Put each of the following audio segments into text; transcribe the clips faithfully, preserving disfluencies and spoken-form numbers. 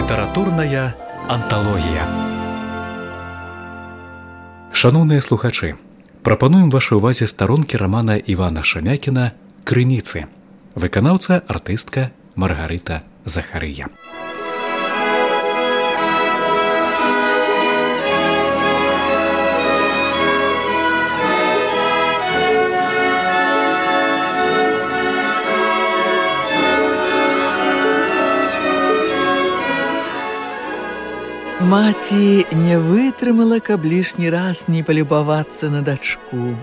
Літаратурная анталогія. Шаноўныя слухачы, прапануем вашай увазе старонкі рамана Івана Шамякіна «Крыніцы». Выканаўца артыстка Маргарыта Захарыя. Маці не вытрымала, каб лішні раз не палюбавацца на дачку.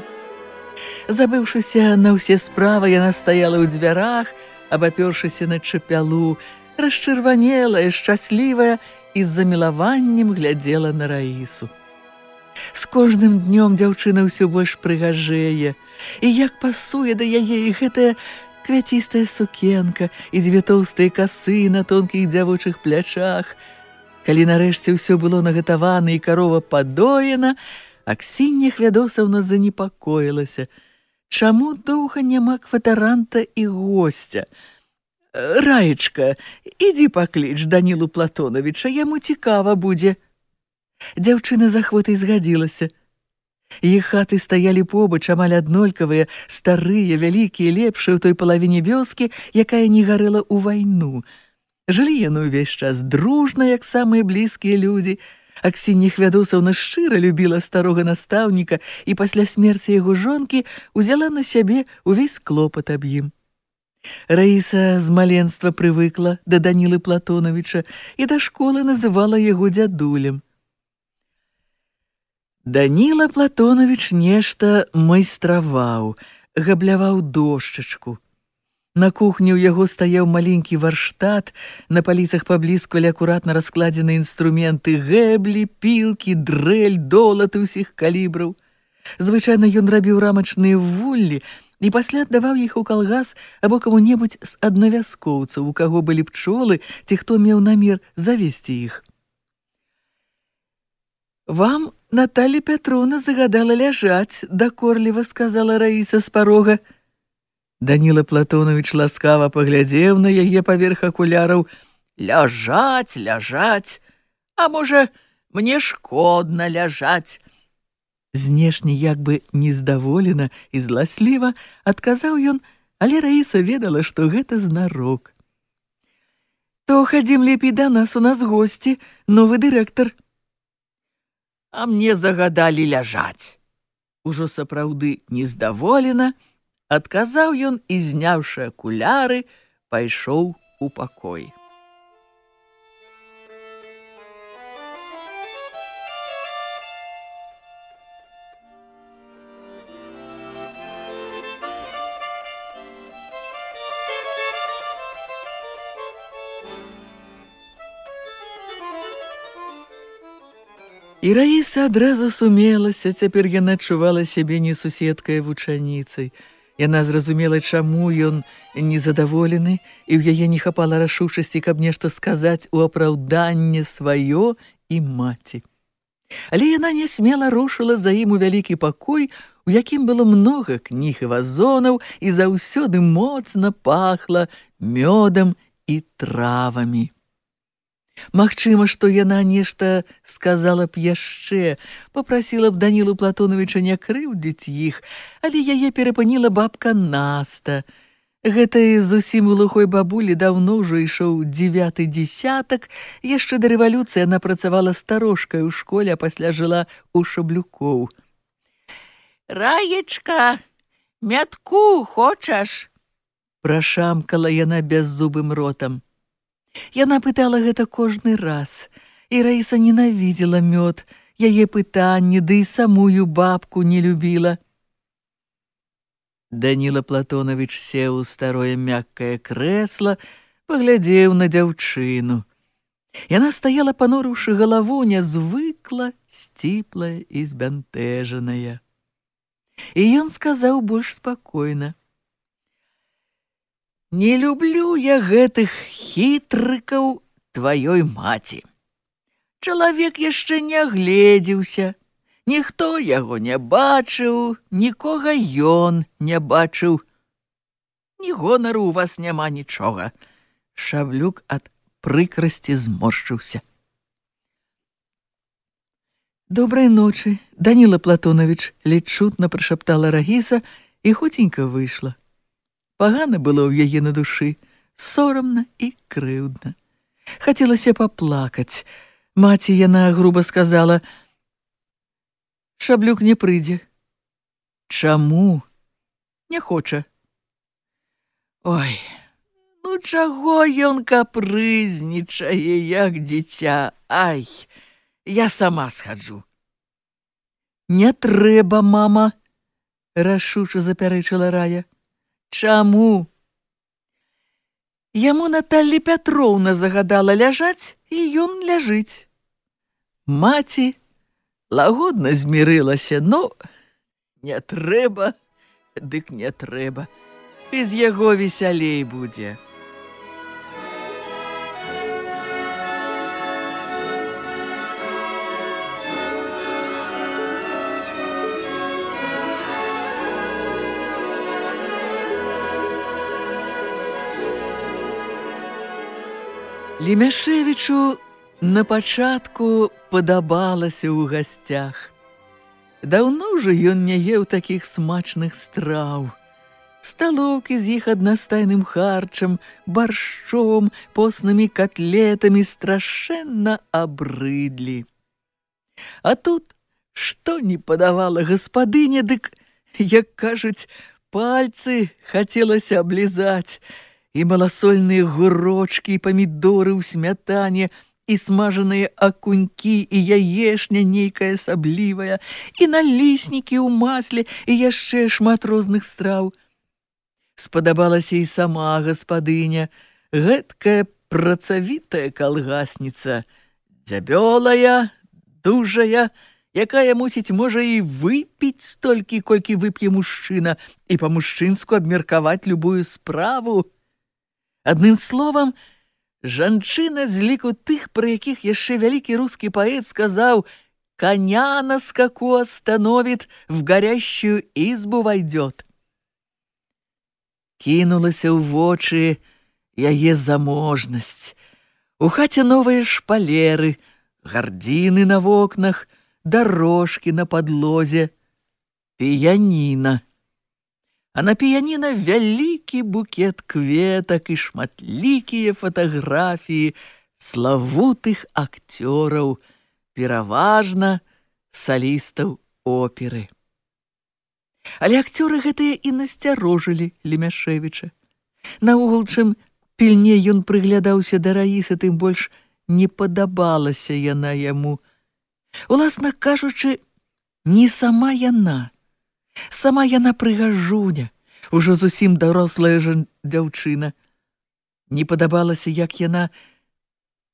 Забыўшыся на ўсе справы, яна стаяла ў дзвярах, абапёршыся на чапялу, расчырванелая, шчаслівая і з замілаваннем глядзела на Раісу. З кожным днём дзяўчына ўсё больш прыгажэе, і як пасуе да яе і гэтая квяцістая сукенка, і дзве тоўстыя касы на тонкіх дзявочых плячах. Калі нарэшце ўсё было нагатавана і карова падоена, Аксіння Хвядосаўна занепакоілася. Чаму доўга няма кватаранта і госця? Раечка, ідзі пакліч Данілу Платонавіча, яму цікава будзе. Дзяўчына з ахвотай згадзілася. Іх хаты стаялі побач, амаль аднолькавыя, старыя, вялікія, лепшыя ў той палавіне вёскі, якая не гарэла ў вайну. Жылі яны ўвесь час дружна, як самыя блізкія людзі. Аксіння Хвядосаўна шчыра любіла старога настаўніка і пасля смерці яго жонкі узяла на сябе ўвесь клопат аб ім. Раіса з маленства прывыкла да Данілы Платонавіча і да школы называла яго дзядулем. Даніла Платонавіч нешта майстраваў, габляваў дошчачку. На кухні ў яго стаяў маленькі варштат, на паліцах паблізкалі акуратна раскладзены інструменты, гэблі, пілкі, дрэль, долаты ўсіх калібраў. Звычайна ён рабіў рамачныя вуллі і пасля аддаваў іх у калгас або каму-небудзь з аднавяскоўцаў, у каго былі пчолы, ці хто меў намер завесці іх. «Вам Наталля Пятровна загадала ляжаць», — дакорліва сказала Раіса з парога. Даніла Платонавіч ласкава паглядзеў на яе паверх акуляраў. «Ляжаць, ляжаць, а можа, мне шкодна ляжаць». Знешне як бы нездаволена і зласліва адказаў ён, але Раіса ведала, што гэта знарок. «То хадзім лепей да нас, у нас госці, новы дырэктар». «А мне загадалі ляжаць». Ужо сапраўды нездаволена адказаў ён і, зняўшы акуляры, пайшоў у пакой. І Раіса адразу сумелася, цяпер яна адчувала сябе не суседкай, а вучаніцай. Яна зразумела, чаму ён незадаволены, і ў яе не хапала рашучасці, каб нешта сказаць у апраўданне сваё і маці. Але яна нясмела рушыла за ім у вялікі пакой, у якім было многа кніг і вазонаў, і заўсёды моцна пахла мёдам і травамі. Магчыма, што яна нешта сказала б яшчэ, папрасіла б Данілу Платонавіча не крыўдзіць іх, але яе перапыніла бабка Наста. Гэтай зусім глухой бабулі даўно ўжо ішоў дзевяты дзесятак, яшчэ да рэвалюцыі яна працавала старожкай у школе, а пасля жыла ў Шаблюкоў. «Раечка, мятку хочаш?» прашамкала яна бяззубым ротам. Яна пытала гэта кожны раз, і Раіса ненавідзела мёд, яе пытанні, ды і самую бабку не любіла. Даніла Платонавіч сеў у старое мяккае крэсла, паглядзеў на дзяўчыну. Яна стаяла, панурыўшы галаву, нязвыкла, сціплая і збянтэжаная. І ён сказаў больш спакойна: «Не люблю я гэтых хітрыкаў тваёй маці. Чалавек яшчэ не агледзеўся, ніхто яго не бачыў, нікога ён не бачыў. Ні гонару у вас няма нічога». Шаблюк ад прыкрасці зморшчыўся. «Добрай ночы, Даніла Платонович», — ледь чутно прашаптала Рагіса і хоценька выйшла. Пагана было ў яе на душы, сорамна і крыўдна. Хацелася паплакаць. Маці яна груба сказала: «Шаблюк не прыйдзе». «Чаму?» «Не хоча». «Ой, ну чаго ён капрызнічае, як дзіця? Ай, я сама схаджу». «Не трэба, мама», — рашуча запярэчыла Рая. «Чаму?» «Яму Наталля Пятроўна загадала ляжаць, і ён ляжыць». Маці лагодна змірылася, ну, не трэба, дык не трэба. Без яго весялей будзе. Лемяшевічу на пачатку падабалася ў гасцях. Даўно ўжо ён не еў такіх смачных страў. Сталоўкі з іх аднастайным харчам, баршчом, поснымі котлетамі страшэнна абрыдлі. А тут што не падавала гаспадыня, дык, як кажуць, пальцы хацелася аблізаць. І маласольныя гурочкі, і памідоры ў смятане, і смажаныя акунькі, і яешня нейкая асаблівая, і наліснікі ў масле, і яшчэ шмат розных страў. Спадабалася і сама гаспадыня, гэткая працавітая калгасніца, дзябёлая, дужая, якая, мусіць, можа і выпіць столькі, колькі вып'е мужчына, і па-мужчынску абмеркаваць любую справу. Адным словам, жанчына з ліку тых, пра якіх яшчэ вялікі рускі паэт сказаў: «Коня на скаку остановит, в горящую избу войдет». Кінулася ў вочы яе заможнасць. У хаце новыя шпалеры, гардзіны на вокнах, дорожкі на падлозе, піяніна. А на піяніна вялікі букет кветак і шматлікія фатаграфіі славутых акцёраў, пераважна салістаў оперы. Але акцёры гэтыя і насцярожылі Лемяшевіча. Наогул, чым пільней ён прыглядаўся да Раісы, тым больш не падабалася яна яму. Уласна кажучы, не сама яна. Сама яна прыгажуня, ужо зусім дарослая жа дзяўчына. Не падабалася, як яна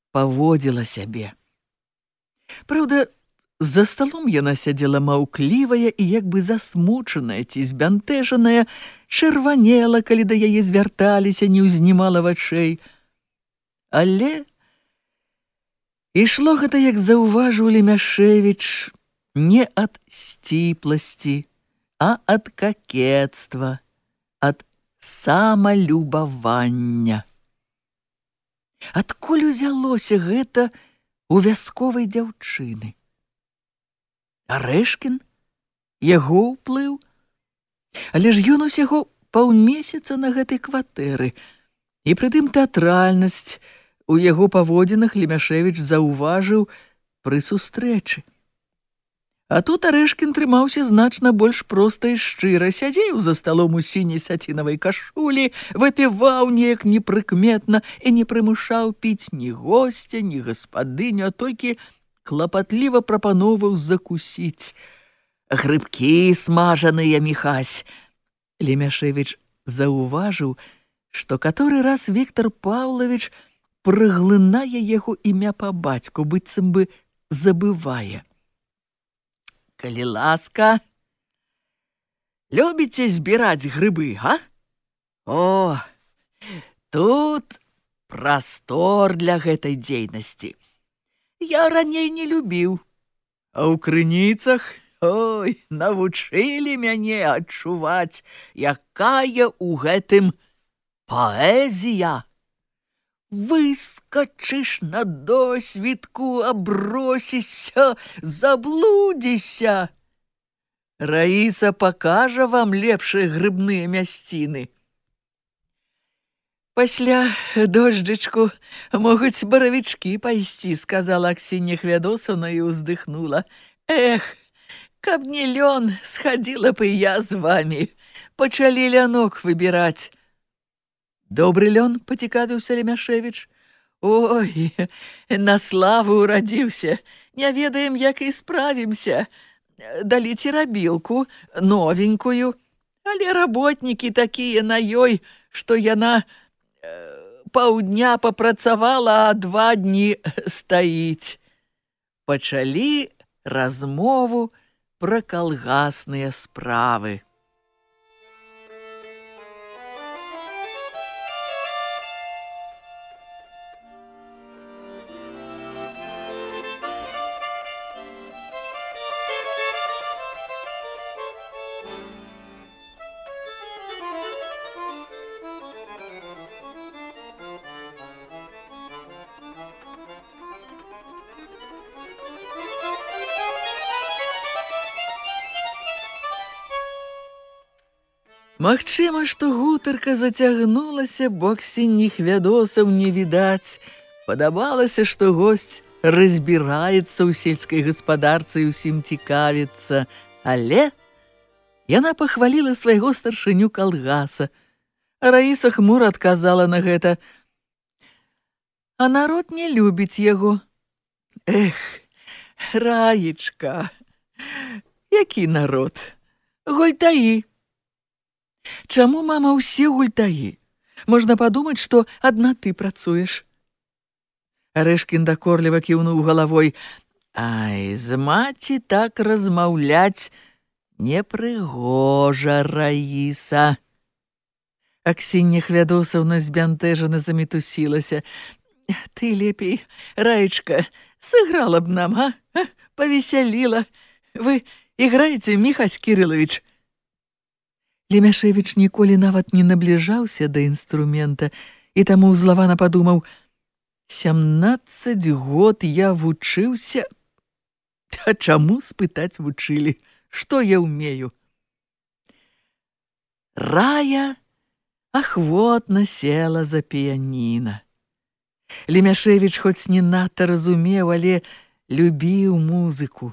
паводзіла сябе. Праўда, за сталом яна сядзела маўклівая і як бы засмучаная ці збянтэжаная, чырванела, калі да яе звярталіся, не ўзнімала вачэй. Але ішло гэта, як заўважыў Лемяшевіч, не ад сціпласці, а ад какетства, ад самалюбавання. Адкуль узялося гэта у вясковай дзяўчыны? Арэшкін? Яго ўплыў? Але ж ён усяго паўмесяца на гэтай кватэры, і прытым тэатральнасць у яго паводзінах Лемяшевіч заўважыў пры сустрэчы. А тут Арэшкін трымаўся значна больш проста і шчыра, сядзеў за сталом у сіняй сацінавай кашулі, выпіваў неяк непрыкметна і не прымушаў піць ні госця, ні гаспадыню, а толькі клапатліва прапаноўваў закусіць. Грыбкі смажаныя, Міхась. Лемяшевіч заўважыў, што каторы раз Віктор Паўлавіч праглынае яго імя па бацьку, быццам бы забывае. Калі ласка, любіце збіраць грыбы, а? О, тут прастор для гэтай дзейнасці. Я раней не любіў, а ў крыніцах, ой, навучылі мяне адчуваць, якая ў гэтым паэзія. выскачыш на досвідку, абросішся, заблудзіся. Раіса пакажа вам лепшыя грыбныя мясціны. Пасля дожджычку могуць баравічкі пайсці, сказала Аксінья Хвядосаўна і ўздыхнула. Эх, каб не лён, схадзіла б і я з вамі. Пачалі лянок выбіраць. Добры лён, пацікавіўся Лемяшевіч. Ой, на славу урадзіўся. Не ведаем, як і справімся. Далі церабілку, новенькую. Але работнікі такія на ёй, што яна паўдня папрацавала, а два дні стаіць. Пачалі размову пра калгасныя справы. Магчыма, што гутарка зацягнулася, бо Аксіньі Хвядосаў не відаць. Падабалася, што госць разбіраецца ў сельскай гаспадарцы і ўсім цікавіцца. Але яна пахваліла свайго старшыню калгаса. А Раіса хмура адказала на гэта. А народ не любіць яго. Эх, Раечка, які народ? Гультаі. Чаму, мама, усе гультаі? Можна падумаць, што адна ты працуеш. Арэшкін дакорліва кіўнуў галавой. Ай, з маці так размаўляць непрыгожа, Раіса. Аксінья Хвядосаўна збянтэжана замітусілася. Ты лепей, Раечка, сыграла б нам, а? Павесяліла. Вы іграеце, Міхась Кірылавіч? Лемяшевіч ніколі нават не набліжаўся да інструмента, і таму ўзлавана падумаў, сямнаццаць год я вучыўся, а чаму спытаць вучылі, што я ўмею? Рая ахвотна села за піяніна. Лемяшевіч хоць не надта разумеў, але любіў музыку.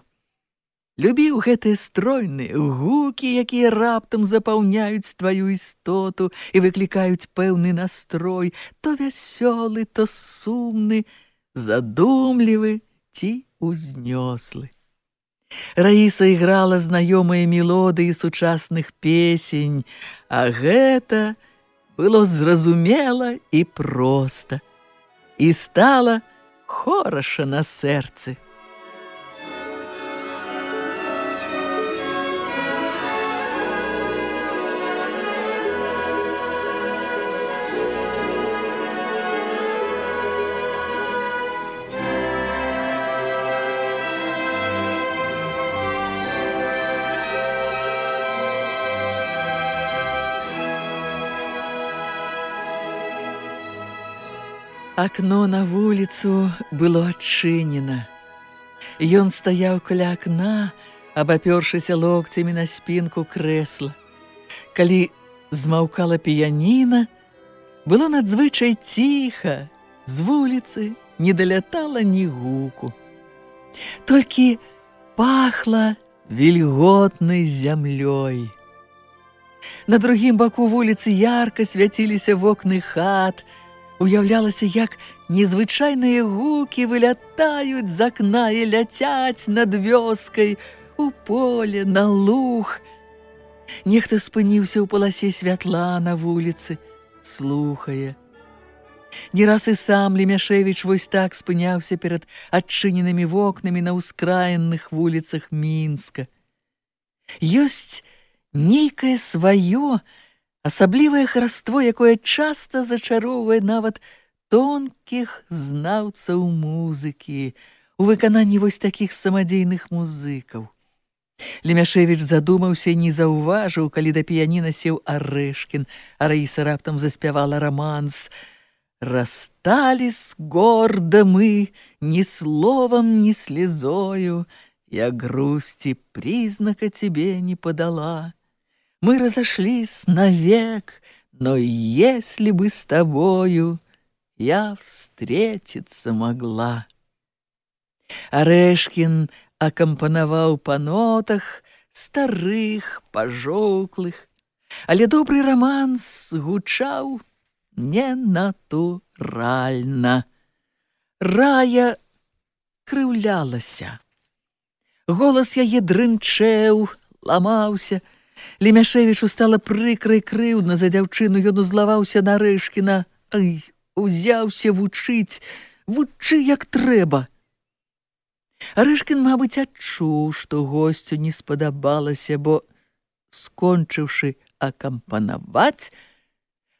Любіў гэтыя стройныя гукі, якія раптам запаўняюць тваю істоту і выклікаюць пэўны настрой, то вясёлы, то сумны, задумлівы ці узнёслы. Раіса іграла знаёмыя мелодыі сучасных песень, а гэта было зразумела і проста, і стала хораша на сэрцы. Акно на вуліцу было адчынена. Ён стаяў каля акна, абапёршыся локцямі на спінку крэсла. Калі змаўкала піяніна, было надзвычай ціха, з вуліцы не далятала ні гуку. Толькі пахла вільготнай зямлёй. На другім баку вуліцы ярка свяціліся вокны хат, уяўлялася, як незвычайныя гукі вылятаюць з акна і ляцяць над вёскай, у поле, на луг. Нехта спыніўся ў паласе святла на вуліцы, слухае. Не раз і сам Лемяшевіч вось так спыняўся перад адчыненымі вокнамі на ўскраінных вуліцах Мінска. Ёсць нейкае сваё, асаблівае хараство, якое часта зачароўвае нават тонкіх знаўцаў музыкі у выкананні вось такіх самадзейных музыкаў. Лемяшевіч задумаўся і не заўважыў, калі да піяніна сеў Арэшкін, а Раіса раптам заспявала раманс. Расстались гордо мы, ни словом, ни слезою, я грусти признака тебе не подала. Мы разошлись навек, но если бы с тобою я встретиться могла. Арэшкін акампанаваў па нотах старых, пажоўклых, але добры раманс гучаў ненатуральна. Рая крыўлялася. Голас яе дрынчэў, ламаўся. Лемяшевічу стала прыкра і крыўдна за дзяўчыну, ён узлаваўся на Арэшкіна. Ай, узяўся вучыць, вучы як трэба. Арэшкін, мабыць, адчуў, што госцю не спадабалася, бо, скончыўшы акампанаваць,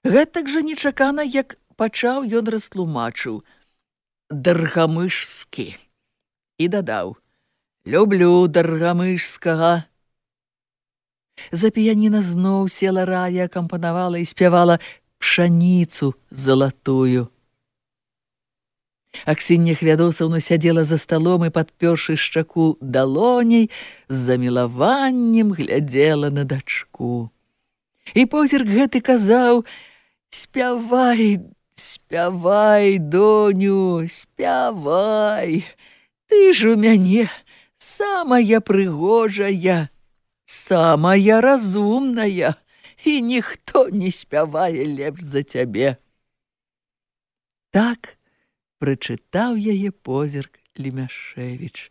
гэтак жа нечакана, як пачаў, ён растлумачыў даргамышскі і дадаў: «Люблю даргамышскага». За піяніна зноў села Рая, акампанавала і спявала «Пшаніцу залатую». Аксіння Хвядосаўна сядзела за сталом і, падпёршы шчаку далоняй, з замілаваннем глядзела на дачку. І позірк гэты казаў: «Спявай, спявай, доню, спявай, ты ж у мяне самая прыгожая, самая разумная, і ніхто не спявае лепш за цябе». Так прачытаў яе позірк Лемяшевіч.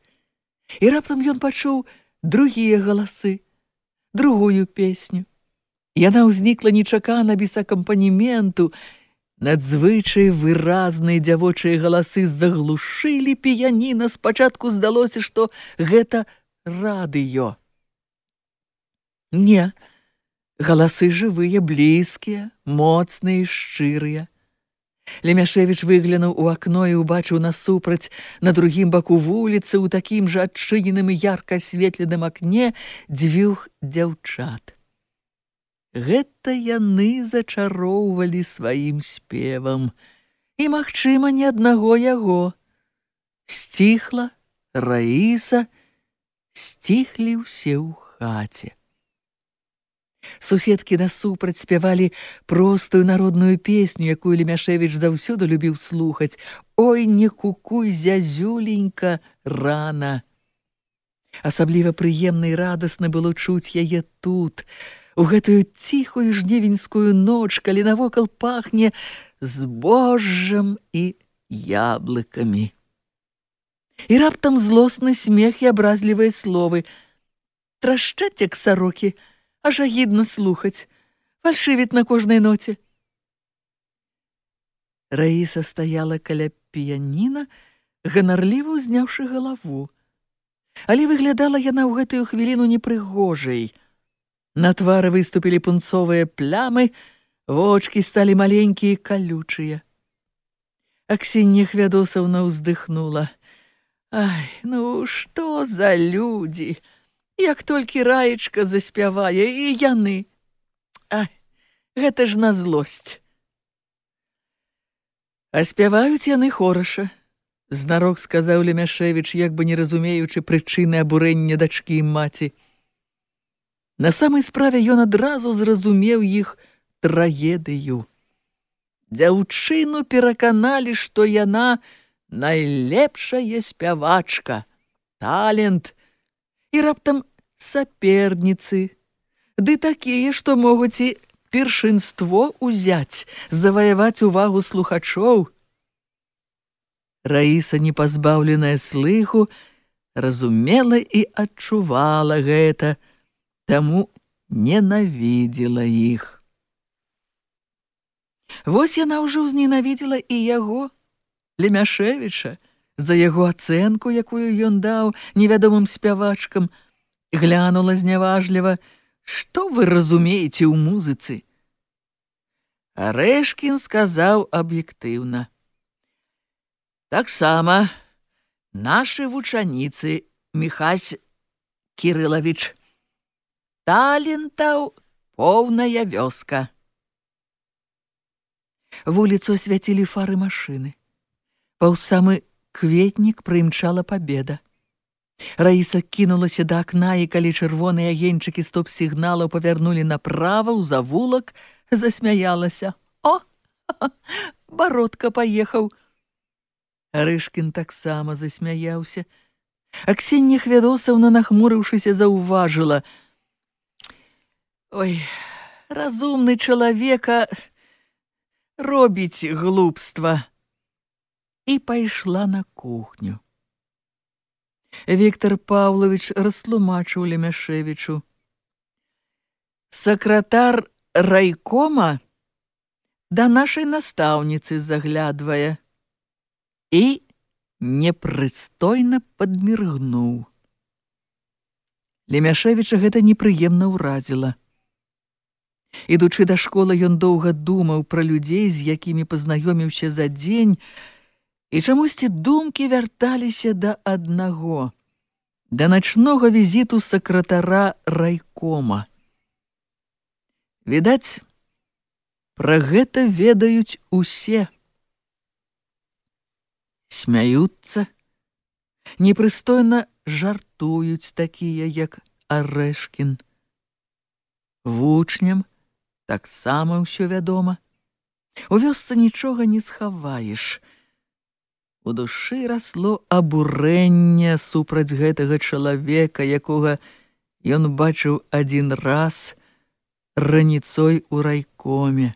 І раптам ён пачуў другія галасы, другую песню. Яна ўзнікла нечакана, без акампанементу. Надзвычай выразныя дзявочыя галасы заглушылі піяніна. Спачатку здалося, што гэта радыё. Не, галасы жывыя, блізкія, моцныя, шчырыя. Лемяшевіч выглянуў у акно і ўбачыў насупраць, на другім баку вуліцы, у такім жа адчыненым і ярка асветленым акне дзвюх дзяўчат. Гэта яны зачароўвалі сваім спевам. І, магчыма, не аднаго яго. Сціхла Раіса, сціхлі ўсе ў хаце. Суседкі насупраць спявалі простую народную песню, якую Лемяшевіч заўсёды любіў слухаць. «Ой, не кукуй, зязюленька, рана». Асабліва прыемна і радасна было чуць яе тут, у гэтую ціхую жнівеньскую ноч, калі навокал пахне збожжам і яблыкамі. І раптам злосны смех і абразлівыя словы. Трашчаць, як сарокі, аж агідна слухаць, фальшывіць на кожнай ноце. Раіса стаяла каля піяніна, ганарліва ўзняўшы галаву. Але выглядала яна ў гэтую хвіліну непрыгожай. На твары выступілі пунцовыя плямы, вочкі сталі маленькія і калючыя. Аксіння Хвядосаўна ўздыхнула. Ай, ну што за людзі! Як толькі Раечка заспявае, і яны. Ай, гэта ж на злосць. А спяваюць яны хораша, знарок сказаў Лемяшевіч, як бы не разумеючы прычыны абурэння дачкі і маці. На самай справе ён адразу зразумеў іх трагедыю. Дзяўчыну пераканалі, што яна найлепшая спявачка, талент, і раптам саперніцы, ды такія, што могуць і першынство ўзяць, заваяваць увагу слухачоў. Раіса, непазбаўленая слыху, разумела і адчувала гэта, таму ненавідзела іх. Вось яна ўжо ўзненавідзела і яго, Лемяшевіча, за яго ацэнку, якую ён даў невядомым спявачкам, глянула зняважліва: «Што вы разумееце ў музыцы?» Арэшкін сказаў аб'ектыўна: «Таксама нашы вучаніцы, Міхась Кірылавіч, талентаў поўная вёска». Вуліцу асвяцілі фары машыны. Паўз самы кветнік прымчала пабеда. Раіса кінулася да акна, і калі чырвоныя агеньчыкі стоп-сігналаў павярнулі направа ў завулак, засмяялася. О, Бародка паехаў. Арышкін таксама засмяяўся. А Ксенія Хвядосаўна, нахмурыўшыся, заўважыла: «Ой, разумны чалавека робіць глупства». І пайшла на кухню. Віктор Павлович растлумачыў Лемяшевічу: «Сакратар райкома да нашай настаўніцы заглядвае». І непрыстойна падміргнуў. Лемяшевіча гэта непрыемна ўразіла. Ідучы да школы, ён доўга думаў пра людзей, з якімі пазнаёміўся за дзень, і чамусьці думкі вярталіся да аднаго, да начнога візіту сакратара райкома. Відаць, пра гэта ведаюць усе. Смяюцца, непрыстойна жартуюць такія, як Арэшкін. Вучням таксама ўсё вядома. У вёсцы нічога не схаваеш. У душы расло абурэнне супраць гэтага чалавека, якога ён бачыў адзін раз раніцой у райкоме,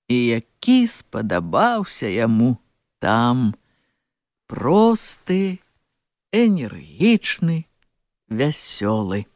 і які спадабаўся яму там, просты, энергічны, вясёлы.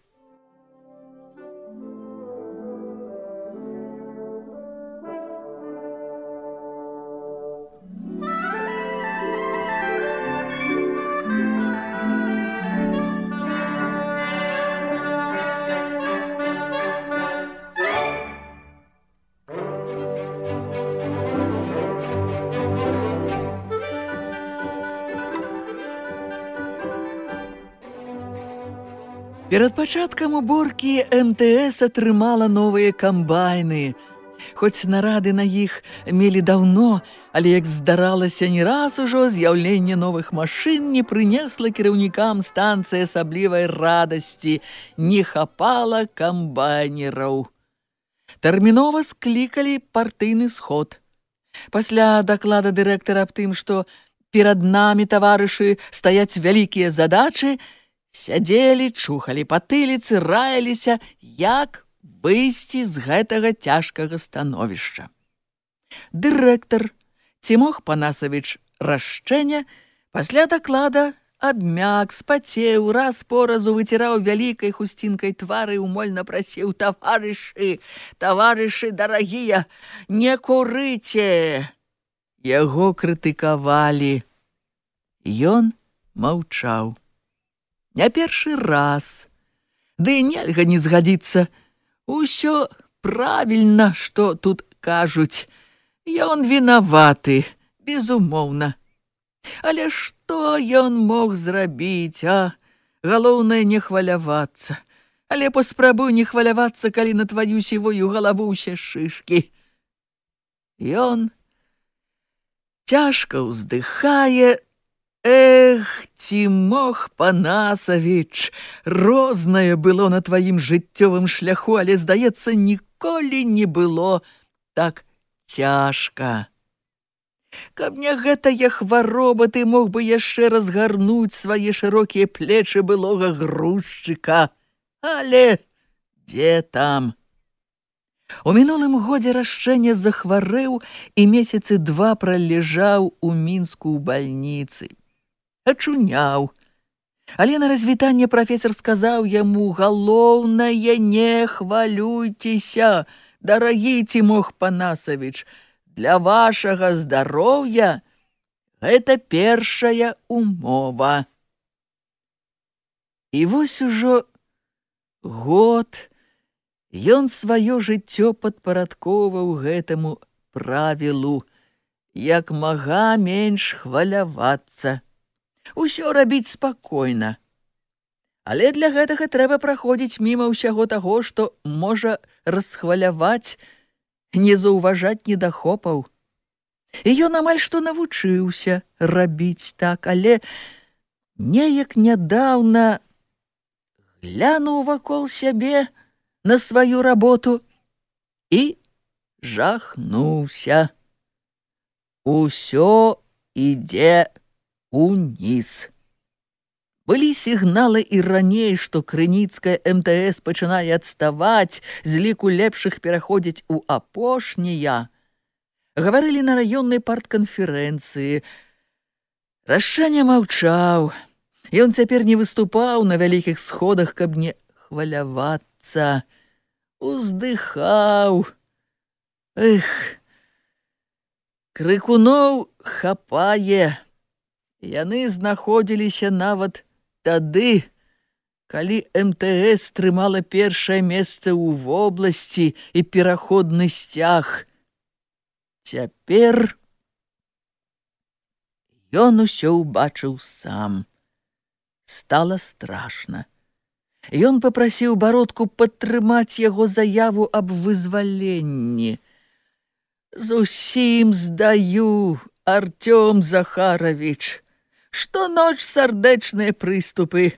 Перад пачаткам уборкі эм тэ эс атрымала новыя камбайны. Хоць нарады на іх мелі даўно, але, як здаралася не раз ужо, з'яўленне новых машын не прынесла кіраўнікам станцыі асаблівай радасці. Не хапала камбайнераў. Тэрмінова склікалі партыйны сход. Пасля даклада дырэктара аб тым, што перад намі, таварышы, стаяць вялікія задачы, сядзелі, чухалі патыліцы, раяліся, як выйсці з гэтага цяжкага становішча. Дырэктар Цімох Панасавіч Рашчэня пасля даклада абмяк, спацеў, раз по разу выціраў вялікай хусцінкай твары і умольна прасіў: «Таварышы, таварышы дарагія, не курыце!» Яго крытыкавалі. Ён маўчаў. Не першы раз. Ды нельга не згадзіцца. Усё правільна, што тут кажуць. Ён вінаваты, безумоўна. Але што ён мог зрабіць, а? Галоўнае не хвалявацца. Але паспрабуй не хвалявацца, калі на тваю сівую галаву ўсе шышкі. Ён цяжка ўздыхае. Эх, Цімох Панасавіч, рознае было на тваім жыццёвым шляху, але, здаецца, ніколі не было так цяжка. Каб не гэтая хвароба, ты мог бы яшчэ разгарнуць свае шырокія плечы былога грузчыка. Але дзе там? У мінулым годзе Рашчэня захварэў і месяцы два праляжаў у Мінску ў бальніцы. Ачуняў. Але на развітанне прафесар сказаў яму: «Галоўнае, не хвалюйцеся, дарагі Цімох Панасавіч, для вашага здароўя гэта першая умова». І вось ужо год ён сваё жыццё падпарадкоўваў гэтаму правілу: як мага менш хвалявацца. Усё рабіць спакойна. Але для гэтага трэба праходзіць міма ўсяго таго, што можа расхваляваць, не заўважаць недахопаў. І ён амаль што навучыўся рабіць так, але неяк нядаўна глянуў вакол сябе на сваю работу і жахнуўся. Усё ідзе уніз. Былі сігналы і раней, што крыніцкая эм тэ эс пачынае адставаць, з ліку лепшых пераходзіць у апошнія. Гаварылі на раённай партканферэнцыі. Рашчаня маўчаў. Ён цяпер не выступаў на вялікіх сходах, каб не хвалявацца. Уздыхаў. Эх, крыкуноў хапае. Яны знаходзіліся нават тады, калі эм тэ эс трымала першае месца ў вобласці і пераходны сцяг. Цяпер ён усё ўбачыў сам. Стала страшна. Ён папрасіў Бародку падтрымаць яго заяву аб вызваленні. «Зусім здаю, Артём Захарович. Штоноч сардэчныя прыступы.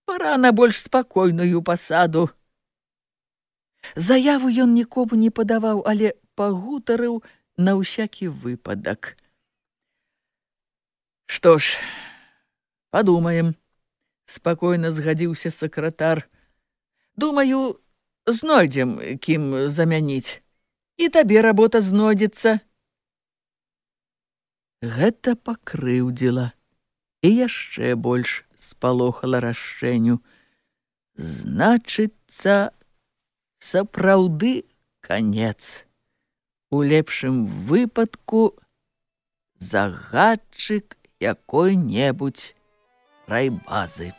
Пара на больш спакойную пасаду». Заяву ён нікому не падаваў, але пагутарыў на ўсякі выпадак. «Што ж, падумаем», — спакойна згадзіўся сакратар. «Думаю, знойдзем, кім замяніць. І табе работа знойдзецца». Гэта пакрыўдзіла і яшчэ больш спалохала Рашчэню. Значыцца, сапраўды канец. У лепшым выпадку загадчык якой-небудзь райбазы.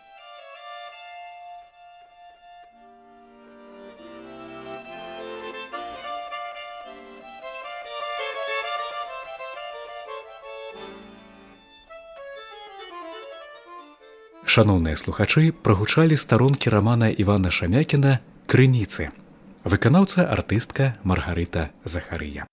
Шаноўныя слухачы, прагучалі старонкі рамана Івана Шамякіна «Крыніцы». Выканаўца артыстка Маргарыта Захарыя.